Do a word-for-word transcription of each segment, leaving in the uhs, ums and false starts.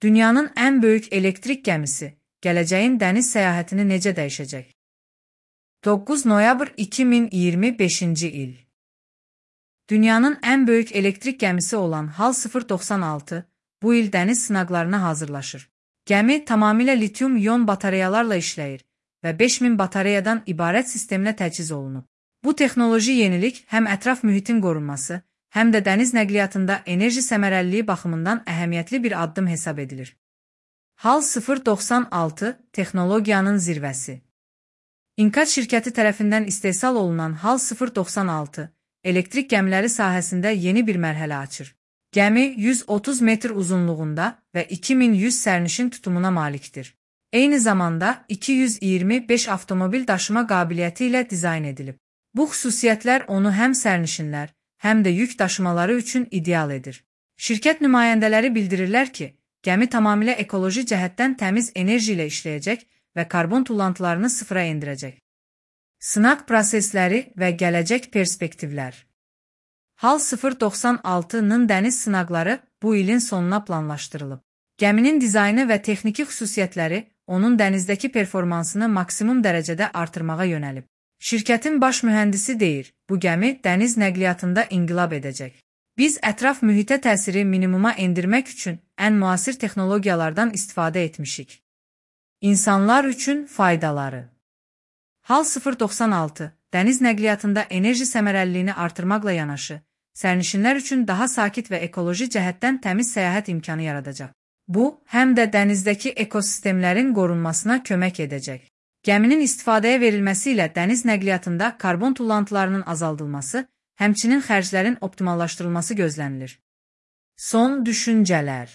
Dünyanın ən böyük elektrik gəmisi, gələcəyin dəniz səyahətini necə dəyişəcək? doqquz noyabr iki min iyirmi beşinci il. Dünyanın ən böyük elektrik gəmisi olan HAL sıfır doxsan altı bu il dəniz sınaqlarına hazırlaşır. Gəmi tamamilə litium-ion batareyalarla işləyir və beş min batareyadan ibarət sisteminə təchiz olunub. Bu texnoloji yenilik həm ətraf mühitin qorunması, həm də dəniz nəqliyyatında enerji səmərəliliyi baxımından əhəmiyyətli bir addım hesab edilir. HAL sıfır doxsan altı texnologiyanın zirvəsi. İnkat şirkəti tərəfindən istehsal olunan HAL sıfır doxsan altı elektrik gəmiləri sahəsində yeni bir mərhələ açır. Gəmi yüz otuz metr uzunluğunda və iki min yüz sərnişin tutumuna malikdir. Eyni zamanda iki yüz iyirmi beş avtomobil daşıma qabiliyyəti ilə dizayn edilib. Bu xüsusiyyətlər onu həm sərnişinlər, həm də yük daşımaları üçün ideal edir. Şirkət nümayəndələri bildirirlər ki, gəmi tamamilə ekoloji cəhətdən təmiz enerji ilə işləyəcək və karbon tullantılarını sıfıra endirəcək. Sınaq prosesləri və gələcək perspektivlər. HAL sıfır doxsan altının dəniz sınaqları bu ilin sonuna planlaşdırılıb. Gəminin dizaynı və texniki xüsusiyyətləri onun dənizdəki performansını maksimum dərəcədə artırmağa yönəlib. Şirkətin baş mühəndisi deyir, bu gəmi dəniz nəqliyyatında inqilab edəcək. Biz ətraf mühitə təsiri minimuma endirmək üçün ən müasir texnologiyalardan istifadə etmişik. İnsanlar üçün faydaları. HAL sıfır doxsan altı dəniz nəqliyyatında enerji səmərəliliyini artırmaqla yanaşı, sərnişinlər üçün daha sakit və ekoloji cəhətdən təmiz səyahət imkanı yaradacaq. Bu, həm də dənizdəki ekosistemlərin qorunmasına kömək edəcək. Gəminin istifadəyə verilməsi ilə dəniz nəqliyyatında karbon tullantılarının azaldılması, həmçinin xərclərin optimallaşdırılması gözlənilir. Son düşüncələr.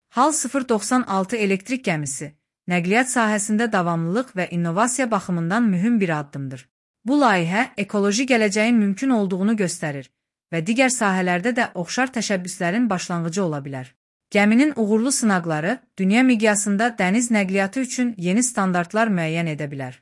HAL sıfır doxsan altı elektrik gəmisi, nəqliyyat sahəsində davamlılıq və innovasiya baxımından mühüm bir addımdır. Bu layihə ekoloji gələcəyin mümkün olduğunu göstərir və digər sahələrdə də oxşar təşəbbüslərin başlanğıcı ola bilər. Gəminin uğurlu sınaqları dünya miqyasında dəniz nəqliyyatı üçün yeni standartlar müəyyən edə bilər.